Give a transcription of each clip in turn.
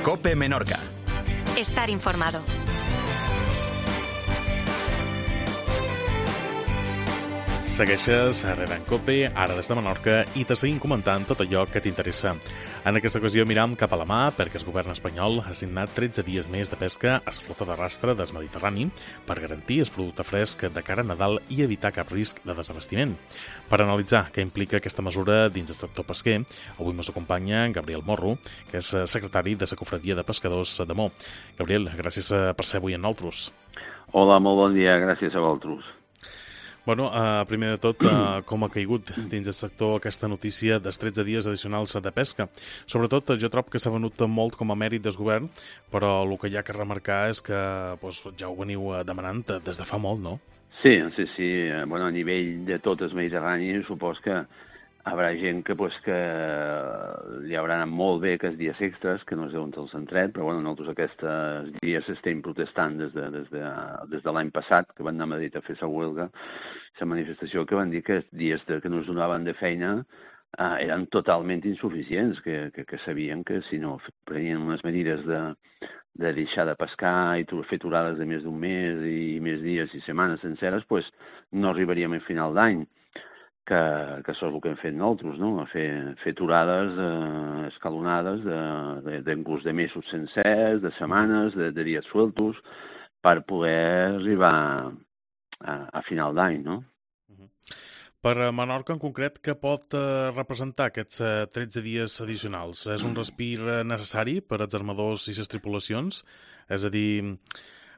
COPE Menorca. Estar informado. Segueixes a Rere en COPE, ara des de Menorca, i te seguim comentant tot allò que t'interessa. En aquesta ocasió miram cap a la mà perquè el govern espanyol ha assignat 13 dies més de pesca a la flota de rastre del Mediterrani per garantir el producte fresc de cara a Nadal i evitar cap risc de desabastiment. Per analitzar què implica aquesta mesura dins el sector pesquer, avui ens acompanya Gabriel Morro, que és secretari de la Cofradia de Pescadors de Mó. Gabriel, gràcies per ser avui amb nosaltres. Hola, molt bon dia, gràcies a vosaltres. Bueno, primer de tot, com ha caigut dins el sector aquesta notícia dels 13 dies addicionals de pesca? Sobretot, jo trobo que s'ha venut molt com a mèrit del govern, però el que hi ha que remarcar és que ja ho veniu demanant des de fa molt, no? Sí. Bueno, a nivell de tot el Mediterrani, supos que hi haurà gent que li haurà anat molt bé aquests dies extras, que no es deuen els han tret, però bueno, nosaltres aquests dies estem protestant des de l'any passat, que van anar a Madrid a fer la huelga, la manifestació, que van dir que els dies que no es donaven de feina eren totalment insuficients, que sabien que si no prenien unes medides de deixar de pescar i fer aturades de més d'un mes i més dies i setmanes senceres, no arribaríem a final d'any. Que això és el que hem fet nosaltres, no? Fer aturades escalonades d'inclús de mesos sencers, de setmanes, de dies sueltos, per poder arribar a final d'any, no? Per Menorca, en concret, què pot representar aquests 13 dies addicionals? És un respir necessari per als armadors i les tripulacions? És a dir,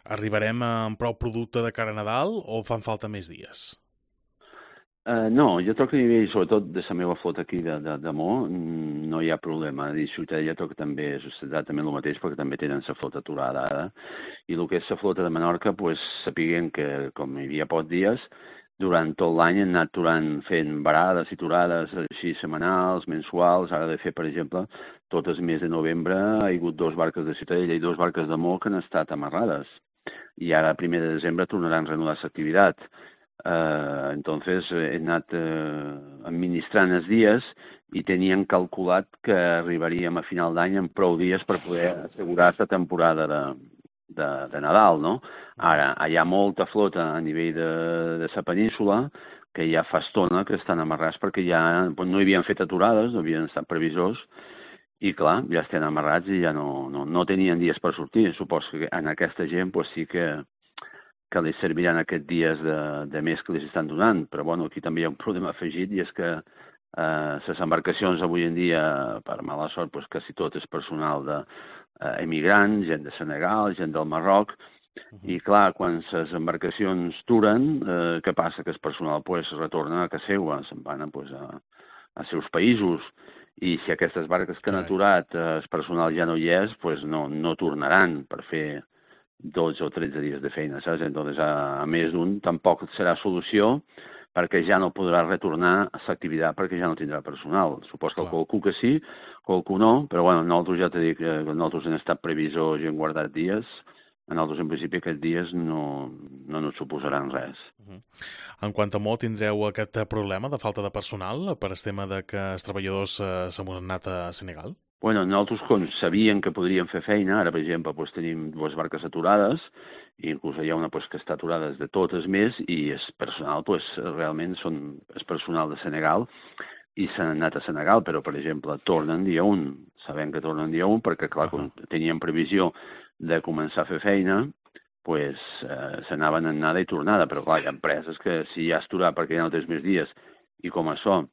arribarem amb prou producte de cara a Nadal o fan falta més dies? No, jo trobo que a nivell, sobretot de la meva flota aquí de Mó, no hi ha problema. A Ciutadella trobo que també és exactament el mateix, perquè també tenen la flota aturada ara. I el que és la flota de Menorca, sapiguem que com hi havia pocs dies, durant tot l'any han anat fent varades i aturades així setmanals, mensuals. Ara de fer, per exemple, tot el mes de novembre hi ha hagut 2 barques de Ciutadella i 2 barques de Mó que han estat amarrades. I ara, a 1 de desembre, tornaran a reanudar l'activitat. Entonces he anat administrant els dies i tenien calculat que arribaríem a final d'any amb prou dies per poder assegurar la temporada de Nadal, no? Ara, hi ha molta flota a nivell de la península que ja fa estona que estan amarrats perquè ja no hi havien fet aturades, no havien estat previsors i, clar, ja estan amarrats i ja no tenien dies per sortir. Suposo que en aquesta gent sí que li serviran aquests dies de mes que els estan donant. Però bueno, aquí també hi ha un problema afegit i és que les embarcacions avui en dia, per mala sort, quasi tot és personal d'emigrants, gent de Senegal, gent del Marroc, i clar, quan les embarcacions duren, què passa? Que el personal retorna a casa seva, se'n van a seus països, i si aquestes barques que han aturat el personal ja no hi és, no tornaran per fer 12 o 13 dies de feina, saps? Entonces, a més d'un, tampoc serà solució perquè ja no podrà retornar a l'activitat perquè ja no tindrà personal. Suposo que qualcú que sí, qualcú no, però bueno, nosaltres ja t'he dit que nosaltres hem estat previsors i hem guardat dies. A nosaltres, en principi, aquests dies no ens suposaran res. En quant a Mó, tindreu aquest problema de falta de personal per el tema de que els treballadors s'han anat a Senegal? Bueno, nosaltres, com sabíem que podríem fer feina, ara, per exemple, tenim 2 barques aturades, i inclús hi ha una que està aturada des de tot el mes, i el personal, realment són el personal de Senegal, i s'han anat a Senegal, però, per exemple, tornen dia 1. Sabem que tornen dia 1 perquè, clar, quan teníem previsió de començar a fer feina, s'anaven en anada i tornada, però, clar, hi ha empreses que si ja has aturat perquè ja no tens més dies, i com això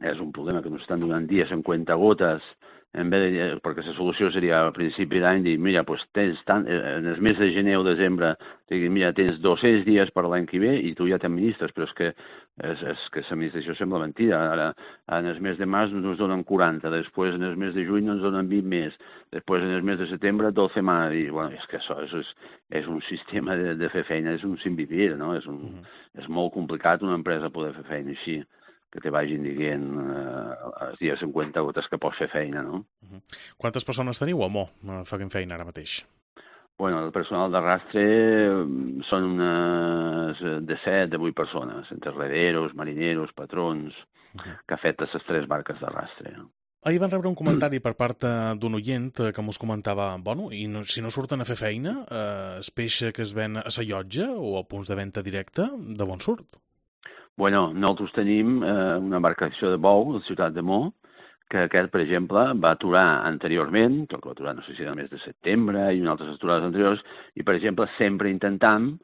és un problema que ens estan donant dies en cuentagotes, perquè la solució seria al principi d'any dir, mira, tens tant, en el mes de gener o desembre, mira, tens 200 dies per l'any que ve i tu ja t'administres, però és que l'administració sembla mentida. Ara, en el mes de març ens donen 40, després en el mes de juny ens donen 20 més, després en el mes de setembre 12 més, i bueno, és que això és un sistema de fer feina, és un sin vivir, no? És molt complicat una empresa poder fer feina així, que te vagin dient els dies 50 gotes que pots fer feina, no? Quantes persones teniu a Mó fent feina ara mateix? Bueno, el personal d'arrastre són unes de 7, de 8 persones, entre rederos, marineros, patrons, que afecten les 3 barques d'arrastre. Ahir van rebre un comentari per part d'un oient que mos comentava, bueno, i si no surten a fer feina, el peix que es ven a la llotja o a punts de venda directa, de bon surt? Bueno, nosaltres tenim una embarcació de bou a la ciutat de Mó, que aquest, per exemple, va aturar anteriorment, que va aturar, no sé si era el mes de setembre i unes altres aturades anteriors, i, per exemple, sempre intentam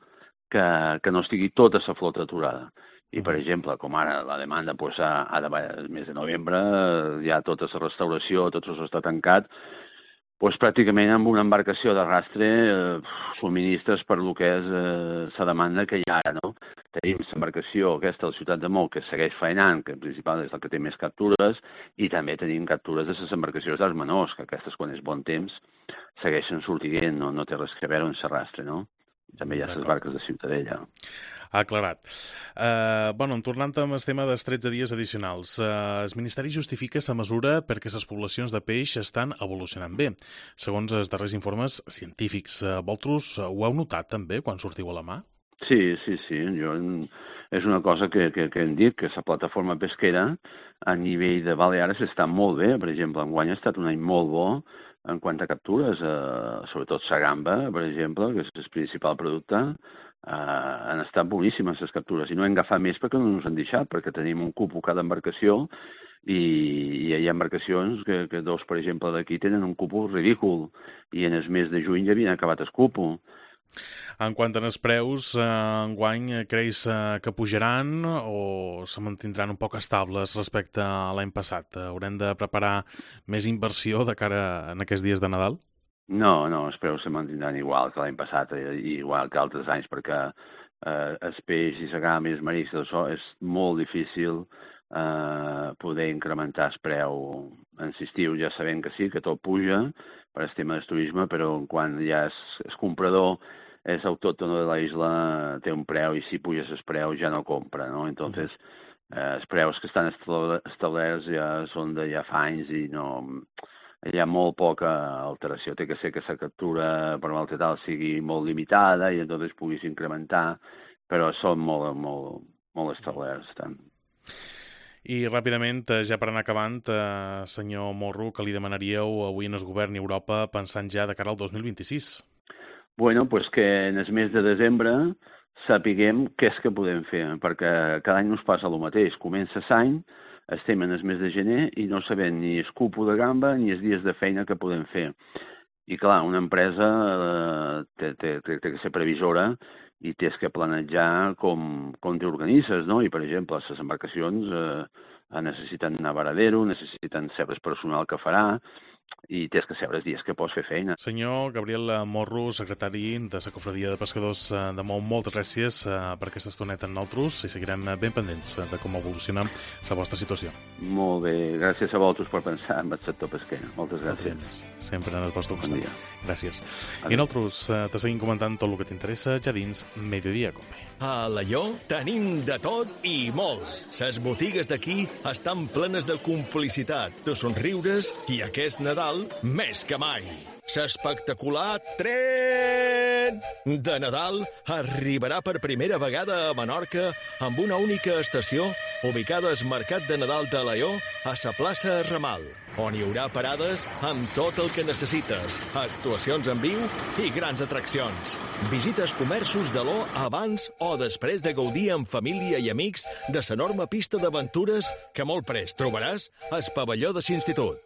que no estigui tota la flota aturada. I, per exemple, com ara la demanda el mes de novembre, ja tota la restauració, tot això està tancat, pràcticament amb una embarcació d'arrastre subministres per lo que és la demanda que hi ha ara, no? Tenim l'embarcació aquesta a la ciutat de Mó, que segueix faenant, que en principal és la que té més captures, i també tenim captures de les embarcacions dels menors, que aquestes, quan és bon temps, segueixen sortint, no té res a veure amb l'arrastre, no? També hi ha les barques de Ciutadella. Aclarat. Tornant amb el tema dels 13 dies addicionals, el Ministeri justifica la mesura perquè les poblacions de peix estan evolucionant bé. Segons els darrers informes científics, vosaltres ho heu notat també quan sortiu a la mà? Sí. És una cosa que hem dit, que la plataforma pesquera a nivell de Balears està molt bé. Per exemple, enguany ha estat un any molt bo en quant a captures, sobretot la gamba, per exemple, que és el principal producte. Han estat boníssimes les captures i no hem agafat més perquè no ens han deixat, perquè tenim un cupo cada embarcació i hi ha embarcacions que dos, per exemple, d'aquí tenen un cupo ridícul i en el mes de juny ja havien acabat el cupo. En quant als preus, enguany creus que pujaran o se mantindran un poc estables respecte a l'any passat? Haurem de preparar més inversió de cara a aquests dies de Nadal? No, els preus se mantindran igual que l'any passat, igual que altres anys, perquè el peix i la gamba i els mariscs és molt difícil poder incrementar el preu en l'estiu. Ja sabem que sí, que tot puja per el tema del turisme, però quan ja el comprador és autòcton de la isla, té un preu i si puges el preu ja no compra, no? Entonces, els preus que estan establerts ja són de ja fa anys i no... Hi ha molt poca alteració. Té que ser que la captura per mal tal sigui molt limitada i entonces puguis incrementar, però són molt establerts. Tant. I ràpidament, ja per anar acabant, senyor Morro, que li demanaríeu avui en el govern i Europa pensant ja de cara al 2026? Bueno, pues que en el mes de desembre sapiguem què és que podem fer, perquè cada any ens passa el mateix. Comença l'any, estem en el mes de gener i no sabem ni el cupo de gamba ni els dies de feina que podem fer. I clar, una empresa té que ser previsora i tens que planejar com t'organitzes, no? I, per exemple, les embarcacions necessiten navaradero, necessiten saber el personal que farà, i tens que saber els dies que pots fer feina. Senyor Gabriel Morro, secretari de la Cofradia de Pescadors de Mó, moltes gràcies per aquesta estoneta amb nosaltres i seguirem ben pendents de com evoluciona la vostra situació. Molt bé, gràcies a vosaltres per pensar en el sector pesquer. Moltes gràcies. Sempre en el vostre costat. Bon dia. Gràcies. I nosaltres te seguim comentant tot el que t'interessa ja dins Mediodía Cope. A Alaior tenim de tot i molt. Les botigues d'aquí estan plenes de complicitat, de somriures i aquest Nadal més que mai. L'espectacular tren de Nadal arribarà per primera vegada a Menorca amb una única estació ubicada al Mercat de Nadal de Alaior a la plaça Ramal, on hi haurà parades amb tot el que necessites, actuacions en viu i grans atraccions. Visites comerços de l'O abans o després de gaudir amb família i amics de l'enorme pista d'aventures que molt prest trobaràs al pavelló de l'institut.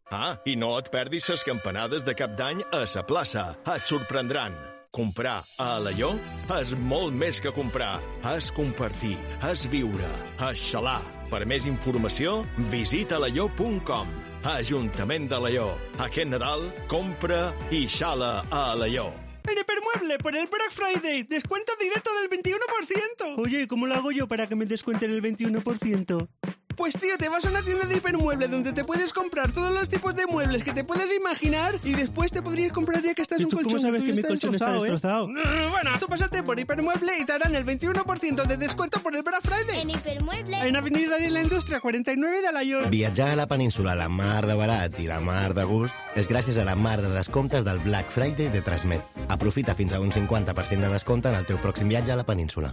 I no et perdis les campanades de Cap d'Any a la plaça. Et sorprendran. Comprar a Alaior és molt més que comprar. És compartir, és viure, és xalar. Per més informació, visita alaior.com. Ajuntament d'Alaior. Aquest Nadal, compra i xala a Alaior. En Hipermueble, por el Black Friday, descuento directo del 21%. Oye, ¿cómo lo hago yo para que me descuenten el 21%? Pues tío, te vas a una tienda de Hipermueble donde te puedes comprar todos los tipos de muebles que te puedes imaginar y después te podrías comprar ya que estás un colchón. ¿Cómo sabes que mi colchón está destrozado? Bueno, tú pásate por Hipermueble y te harán el 21% de descuento por el Black Friday. En Hipermueble. En Avenida de la Indústria 49 de Alaior. Viatjar a la península a la mar de barat i la mar de gust és gràcies a la mar de descomptes del Black Friday de Transmet. Aprofita fins a un 50% de descompte en el teu pròxim viatge a la península.